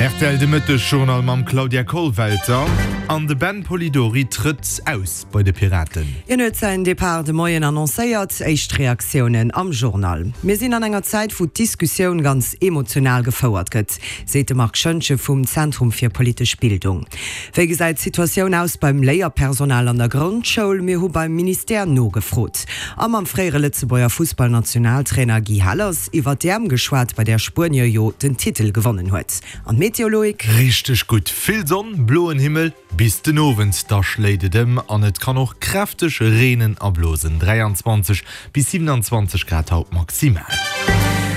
Rtl de Mëtteg-Journal mam Claudia Kollwelter. An de Ben Polidori trëtt aus bei de Piraten. Hien huet säin Depart de Moien annoncéiert. Éischt Reaktiounen am Journal. Mir sinn an enger Zäit, wou d'Diskussioun ganz emotional gefouert gëtt, seet de Marc Schoentgen vum Zentrum fir politesch Bildung. Wéi gesäit d'Situatioun aus beim Léierpersonal an der Grondschoul? Mir hu beim Ministère nogefrot a mam fréiere Lëtzebuerger Fussballnationaltrainer Guy Hellers iwwer d'EM geschwat, bei där Spuenie jo den Titel gewonnen huet. An d'Meteo, Loïc? Richteg gutt, vill Sonn, bloen Himmel bis den Owend, da schléit et ëm an et kann och kräfteg reenen a blosen. 23 bis 27 Grad haut maximal.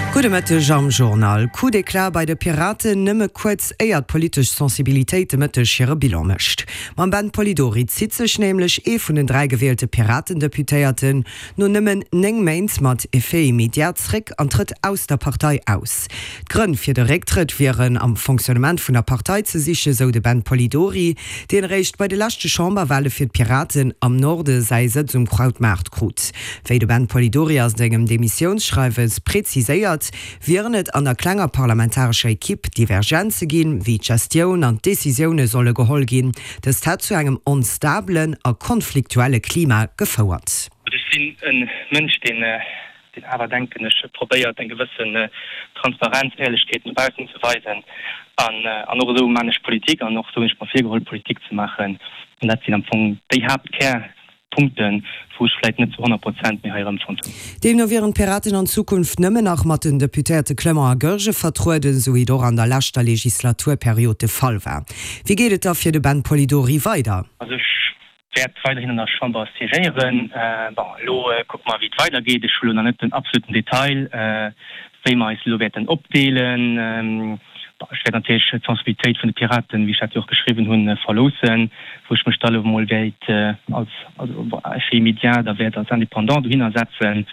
Gudde Mëtteg am Journal. Coup d'éclat bei de Piraten, nëmme kuerz éier d'politesch Sensibilitéit de Mëtteg hire Bilan mécht. Mam Ben Polidori zitt sech nämlech ee vun den 3 gewielte Piraten-Deputéierten no nëmmen 9 Méint mat Effet immédiat zréck an trëtt aus der Partei aus. D'Grënn fir de Récktrëtt wieren am Fonctionnement vun der Partei ze sichen, sou de Ben Polidori, deen eréischt bei de leschte Chamberwale fir d'Piraten am Norde säi Sëtz um Krautmaart krut. Wéi de Ben Polidori a sengem Demissiounsschreiwes preziséiert, wieren et an der klenger parlamentarescher Ekipp Divergenze ginn, wéi d'Gestioun an d'Decisioune solle geholl ginn. Dëst hätt zu engem onstabelen a konfliktuelle Klima gefouert. Ech sinn e Mënsch, deen deen awer, denken ech, probéiert eng gewëssen Transparenz, Éierlechkeet no baussen ze weisen an an och esou maan ech Politik an och esou hunn ech mer virgeholl Politik ze maachen an dat sinn am Fong déi Haaptkärpunkten, wou ech vläit net zu 100 Prozent méi hei erëmfonnt hunn. Deemno wieren d'Piraten an Zukunft nëmmen nach mat den Deputéierte Clement a Goergen vertrueden, esou wéi et och an der leschter Legislaturperiod de Fall war. Wéi geet et da fir de Ben Polidori weider? Also ech wäert weiderhin an der Chamber siégéieren. Bon, elo kucke mer, wéi et weidergeet. Ech hu lo nach net den absoluten Detail, wéi mer eis elo wäerten opdeelen. Bon, ech wäert natierlech d'Sensibilitéit vun de Piraten, wéi ech dat jo och geschriwwen hunn, verloossen, wou ech mech da elo emol wäert als, also bon, effet immédiat da wäert als Indépendant dohinner setzen.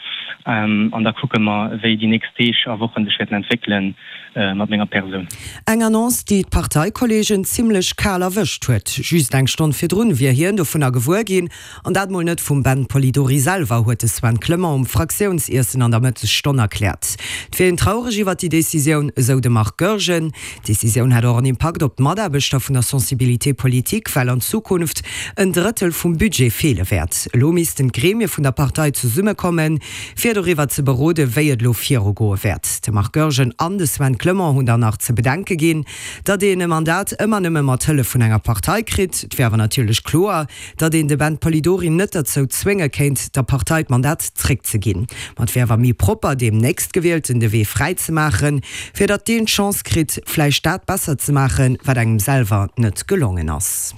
An da kucke mer, wéi déi nächst Deeg a Wochen sech wäerten entwéckelen. mat menger Persoun. Eng Annonce, déi d'Parteikolleegen zimmlech kal erwëscht huet. Just eng Stonn virdrun wier hien dovunner gewuer ginn, an dat mol net vum Ben Polidori selwer, huet de Sven Clement um Fraktiounsiessen an der Mëttesstonn erkläert. Et wier een traureg iwwer déi Decisioun, esou de Marc Goergen. D'Decisioun hätt och en Impakt op d'Mataarbechter vun der Sensibilité politique, well an Zukunft en Drëttel vum Budget feele wäert. Elo missten d'Gremie vun der Partei zesummekommen, Fir doriwwer ze beroden, wéi et elo virugoe wäert. De Marc Goergen an de Sven Clement hunn dann nach ze bedenke ginn, datt een e Mandat ëmmer nëmme mat Hëllef vun enger Partei kritt. Et wier awer natierlech kloer, datt een de Ben Polidori net derzou zwénge kéint, der Partei d'Mandat zréckzeginn. Ma et wier awer méi propper, deem Nächstgewielten de Wee fräi ze maachen, fir datt deen d'Chance kritt, vläicht dat besser ze maachen, wat engem selwer net gelongen ass.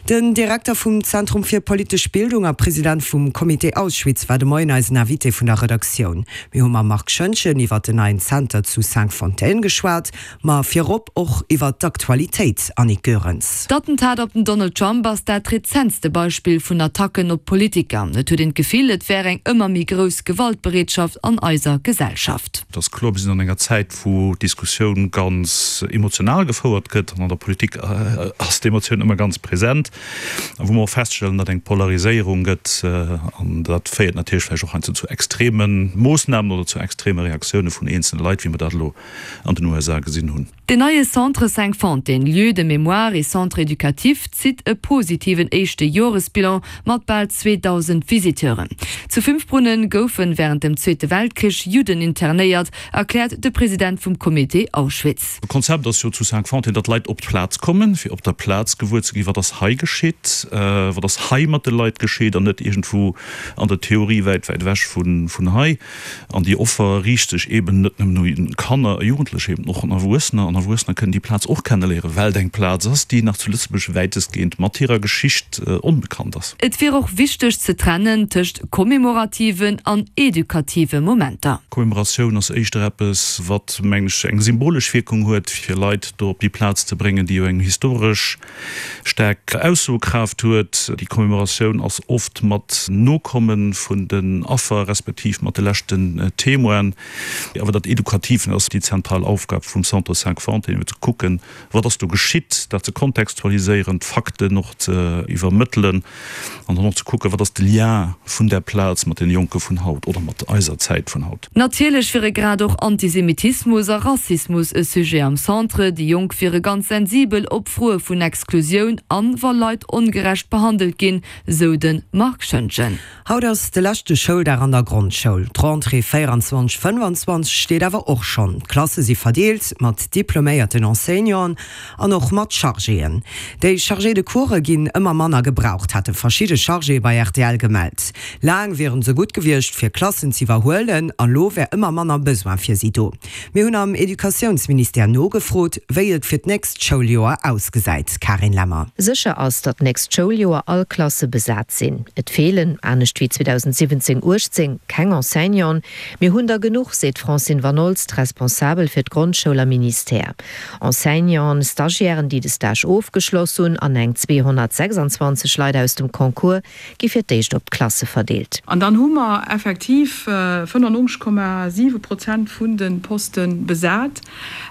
Den Direkter vum Zentrum fir politesch Bildung a President vum Comité Auschwitz war de Moien eisen Invité vun der Redaktioun. Mir hu mam Marc Schoentgen iwwert den neien Zenter zu Cinqfontaines geschwat, ma virop och iwwert d'Aktualitéit. Annick Goerens. D'Attentat op den Donald Trump ass dat rezentste Beispill vun Attacken op Politiker. Et huet een d'Gefill, et wär eng ëmmer méi grouss Gewaltbereetschaft an eiser Gesellschaft. Et ass kloer, mir sinn an enger Zäit, wou d'Diskussioun ganz emotional gefouert gëtt, an an der Politik ass d'Emotioun ëmmer ganz present, a wou mer och feststellen, datt eng Polariséierung gëtt, an dat féiert natierlech vläicht och heiansdo zu extreme Moossnamen oder zu extreme Reaktioune vun eenzele Leit, wéi mer dat elo an den USA gesinn hunn. Deen neie Centre Cinqfontaines, Lieu de mémoire et centre éducatif, zitt e positiven éischte Joresbilan mat bal 2.000 Visiteuren. Zu Fünfbrunnen goufe wärend dem Zweete Weltkrich Judden internéiert, erkläert de President vum Comité Auschwitz. D'Konzept ass jo zu Cinqfontaines, datt Leit op d'Plaz kommen, fir op der Plaz gewuer ze ginn, wat ass hei geschitt, wat ass hei mat de Leit geschitt an net iergendwou an der Theorie wäit, wäit ewech vun hei. An déi Offer riicht sech eben net nëmmen u Kanner a Jugendlecher, eben och un Erwuessener. An Erwuessener kënnen déi Plaz och kenneléieren, well et eng Plaz ass, déi nach zu Lëtzebuerg wäitestgehend mat hirer Geschicht onbekannt ass. Et wier och wichteg ze trennen tëscht commemorativen an edukative Momenter. Commemoratioun ass éischter eppes, wat, mengen ech, eng symbolesch Wierkung huet, fir Leit do op déi Plaz ze bréngen, déi jo eng historesch staark. Aussoekraaft huet. Déi Commemoratioun ass oft mat Nokomme vun den Affer, respektiv mat de leschten Témoinen. Awer dat Edukativ ass déi zentral Aufgab vum Centre Cinq-Fontaines, eben ze kucken, wat ass do geschitt, dat ze kontextualiséieren, d'Fakten och ze iwwermëttelen an dann och ze kucken, wat ass de Lien vun där Plaz mat deene Jonke vun haut oder mat eiser Zäit vun haut. Natierlech wiere grad och Antisemitismus a Rassismus e Sujet am Centre. Déi Jonk wiere ganz sensibel op Froe vun Exklusioun an wa Leit ongerecht behandelt ginn, sou de Marc Schoentgen. Haut ass de leschte Schouldag an der Grondschoul. D'Rentrée 24, 25 steet awer och schonn. D'Klasse si verdeelt, mat diploméierten Enseignanten an och mat Chargéen. Déi Chargés de course ginn ëmmer manner gebraucht, hate verschidde Chargéë bei rtl gemellt. Laang wieren se gutt gewiescht, fir Klassen z'iwwerhuelen, a lo wär ëmmer manner Besoin fir si do. Mir hunn am Educatiounsministère nogefrot, wéi et fir d'nächst Schouljoer ausgesäit. Karin Lemmer. Sécher ass, datt d'nächst Schouljoer all Klasse besat sinn. Et feelen, anescht wéi 2017, 18, keng Enseignanten. Mir hunn der genuch, seet d'Francine Vanolst, Responsabel fir d'Grondschoul am Ministère. Enseignanten, Stagiairen, déi de Stage ofgeschloss hunn, an eng 226 Leit aus dem Concours gi fir d'éischt op d'Klasse verdeelt. An dann hu mer effektiv 95,7 Prozent vun de Poste besat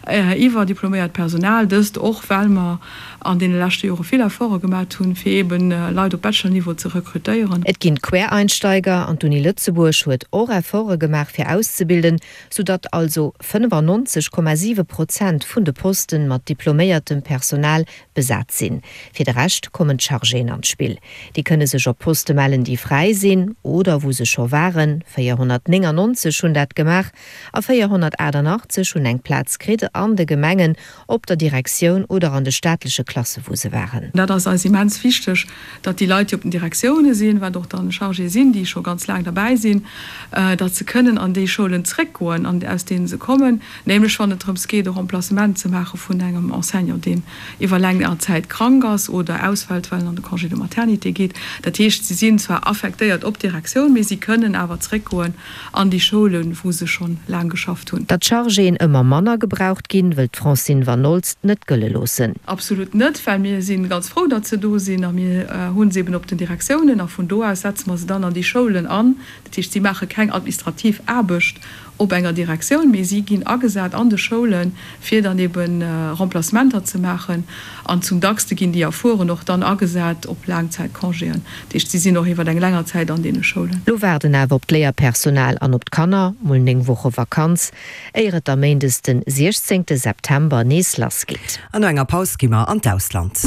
iwwer diploméiert Personal. Dëst och, well mer an deene leschte Jore vill Efforte gemat hunn, fir eebe Leit op Bachelor-Niveau ze rekrutéieren. Et ginn Quereinsteiger an d'Uni Lëtzebuerg huet och Efforte gemaach, fir auszebilden, soudatt also 95,7 Prozent vun de Posten mat diploméiertem Personal besat sinn. Fir de Rescht kommen d'Chargéen an d'Spill. Déi kënne sech op Poste mellen, déi fräi sinn oder wou se scho waren. 499 hunn dat gemaach a 488 hunn eng Plaz kritt an de Gemengen, op der Direktioun oder an de staatleche Klasse wou se waren. Dat ass eis immens wichteg, datt déi Leit, déi op den Direktioune sinn, wat och dann Chargéë sinn, déi scho ganz laang derbäi sinn, datt se kënnen an déi Schoulen zréckgoen, aus deene se kommen, nämlech wann et drëms geet, e Remplacement ze maache vun engem Enseignant, deen iwwer länger Zäit krank ass oder ausfält, well en an de Congé de maternité geet. Dat heescht, si sinn zwar affektéiert op d'Direktioun, mee si kënnen awer zréckgoen an déi Schoulen, wou se schonn laang geschafft hunn. Datt d'Chargéen ëmmer manner gebraucht ginn, wëllt d'Francine Vanolst net gëlle loossen. Absolut net, well mir si ganz frou, datt se do sinn a mir hu se eben op den Direktiounen a vun do aus setze mer se dann an déi Schoulen an. Dat heescht, si maache keng administrativ Aarbecht op enger Direktioun, mee si ginn agesat an de Schoulen, fir dann ebe Remplacementer ze maachen. An zum dackste ginn déi Erfueren och dann agesat op Laangzäitcongéen. Dat heescht, si sinn och iwwer eng länger Zäit an deene Schoulen. Lo waarden awer op d'Léierpersonal an op d'Kanner mol 9 Woche Vakanz, éier et da méindes den 16 September nees lass geet. An no enger Paus gi mer an d'Ausland.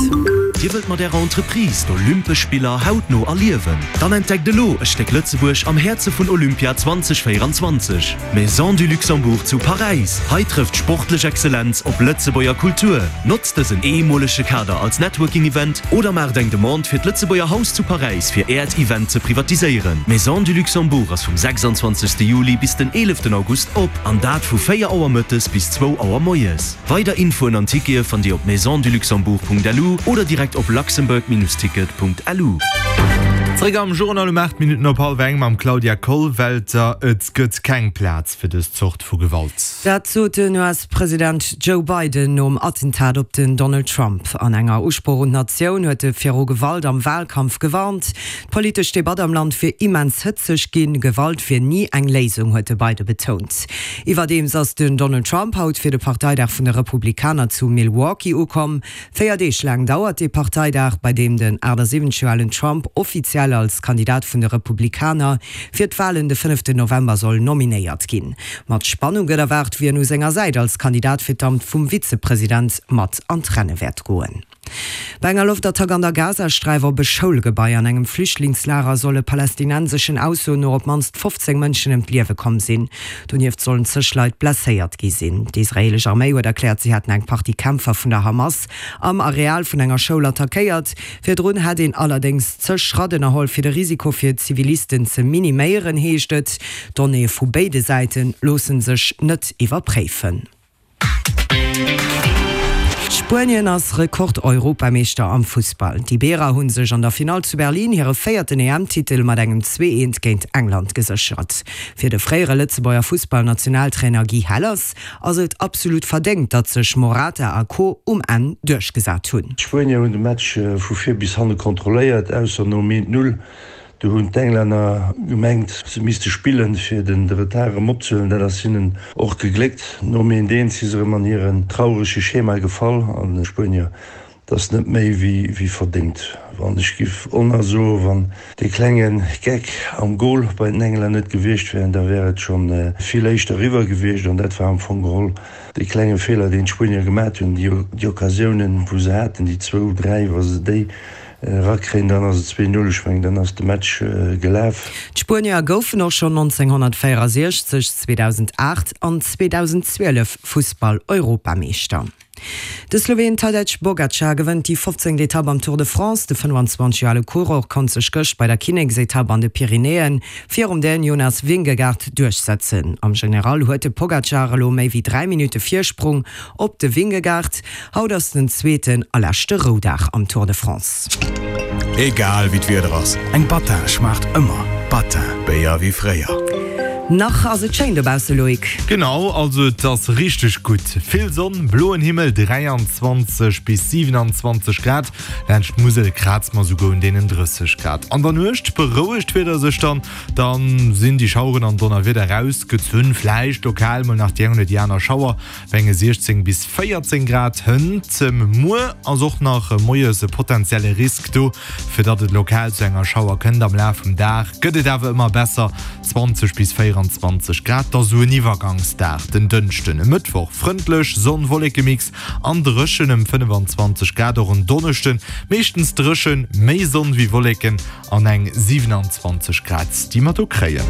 Dir wëllt mat Ärer Entreprise d'Olympesch Spiller hautno erliewen? Dann entdeckt elo e Stéck Lëtzebuerg am Häerze vun Olympia 2024, d'Maison du Luxembourg zu Paräis. Hei trëfft sportlech Exzellenz op Lëtzebuerger Kultur. Notzt dësen eemolege Kader als Networking-Event oder maacht eng Demande fir d'Lëtzebuerger Haus zu Paräis fir Äert Event ze privatiséieren. D'Maison du Luxembourg ass vum 26 Juli bis den 11 August op, an dat vu 4 Auer mëttes bis zwou Auer moies. Weider Infoen an Tickete fannt Dir op maisonduluxembourg.lu oder direkt op luxembourg-ticket.lu. Zréck am Journal um 8 Minutten op hallwer eng mam Claudia Kollwelter. Et gëtt keng Plaz fir dës Zort vu Gewalt. Dat sot den US-President Joe Biden nom Attentat op den Donald Trump. An enger Usproch un d'Natioun huet e viru Gewalt am Walkampf gewarnt. D'politesch Debatt am Land wier immens hëtzeg ginn. Gewalt wier ni eng Léisung, huet de Biden betount. Iwwerdeems ass den Donald Trump haut fir de Parteidag vun de Republikaner zu Milwaukee ukomm. 4 Deeg laang dauert dee Parteidag, bei deem den 78 Joer alen Trump offiziell als Kandidat vun de Republikaner fir d'Walen de fënneften November soll nominéiert ginn. Mat Spannung gëtt erwaart, wien u senger Säit als Kandidat fir d'Amt vum Vizepresident mat an d'Renne wäert goen. Bei enger Loftattack an der Gazasträif op e Schoulgebai an engem Flüchtlingslager solle palästinenseschen Aussoen no op d'mannst 15 Mënschen ëm d'Liewe komm sinn. Donieft sollen zeg Leit blesséiert gi sinn. D'israeelesch Arméi huet erkläert, si hätten eng Partie Kämpfer vun der Hamas am Areal vun enger Schoul attackéiert. Virdrun hätt een allerdéngs zeg Schratt ënnerholl, fir de Risiko fir Zivilisten ze miniméieren, heescht et. D'Donnéeë vu béide Säite loosse sech net iwwerpréifen. Spuenien ass Rekord-Europameeschter am Fussball. D'Iberer hu sech an der Finall zu Berlin hire véierten EM-Titel mat engem 2, 1 géint England geséchert. Fir de fréiere Lëtzebuerger Fussballnationaltrainer Guy Hellers ass et absolut verdéngt, datt sech Morata a Co. Um Enn duerchgesat hunn. D'Spuenier hunn de Match vu vir bis hanne kontrolléiert, ausser nom 1, 0. Do hunn d'Englänner gemengt, se misste spillen, fir de Retard erëm opzehuelen. Dat ass hinnen och gegléckt. Nom 1, 1 si se erëm an hiren traurege Schema gefall an d'Spuenier, dat ass net méi wéi verdéngt. Wann ech giff onna soen, wann dee klenge Geck am Gol bei den Englänner net gewiescht wär, da wär et scho vill éischter eriwwer gewiescht. An dat war am Fong geholl dee klenge Feeler, deen d'Spuenier gemat hunn. Déi Occasiounen, wou se haten, déi zwou, dräi, wa se déi Erakréien, dann ass et 2, 0. Ech mengen, dann ass de Match gelaf. D'Spuenier goufen och schonn 1964, 2008 an 2012 Fussball-Europameeschter. De Sloween Tadej Pogacar gewënnt déi 15. Etapp am Tour de France. De 25 Joer ale Coureur konnt sech gëscht bei der Kinneksetapp an de Pyrenäen virum Dän Jonas Vingegaard duerchsetzen. Am General huet de Pogacar elo méi wéi 3 Minutte Virsprung op de Vingegaard. Haut ass den zweeten a leschte Roudag am Tour de France. Egal wéi d'Wieder ass, eng Battin schmaacht ëmmer. Battin, Béier wéi fréier. Nach ass et schéin dobausse, Loïc. Genau, also et ass richteg gutt. Vill Sonn, bloen Himmel, 23 bis 27 Grad. Laanscht d'Musel kraze mer souguer un deenen 30 Grad. An der Nuecht berouegt d'Wieder sech dann, dann sinn déi Schaueren an Donnerwieder rausgezunn. Vläicht lokal mol nach déi eng oder déi aner Schauer. Bei enge 16 bis 14 Grad hënt. Muer ass och nach moies e potenzielle Risk do, fir datt et lokal zu enger Schauer kënnt. Am Laf vum Dag gëtt et awer ëmmer besser, 20 bis 24 Grad. Da sou en Iwwergangsdag den Dënschden. E Mëttwoch frëndlech, Sonn-Wolleke-Mix an dréchen ëm 25 Grad. Och en Donneschden meeschtens dréchen, méi Sonn wéi Wolleken an eng 27 Grad, déi mer do kréien.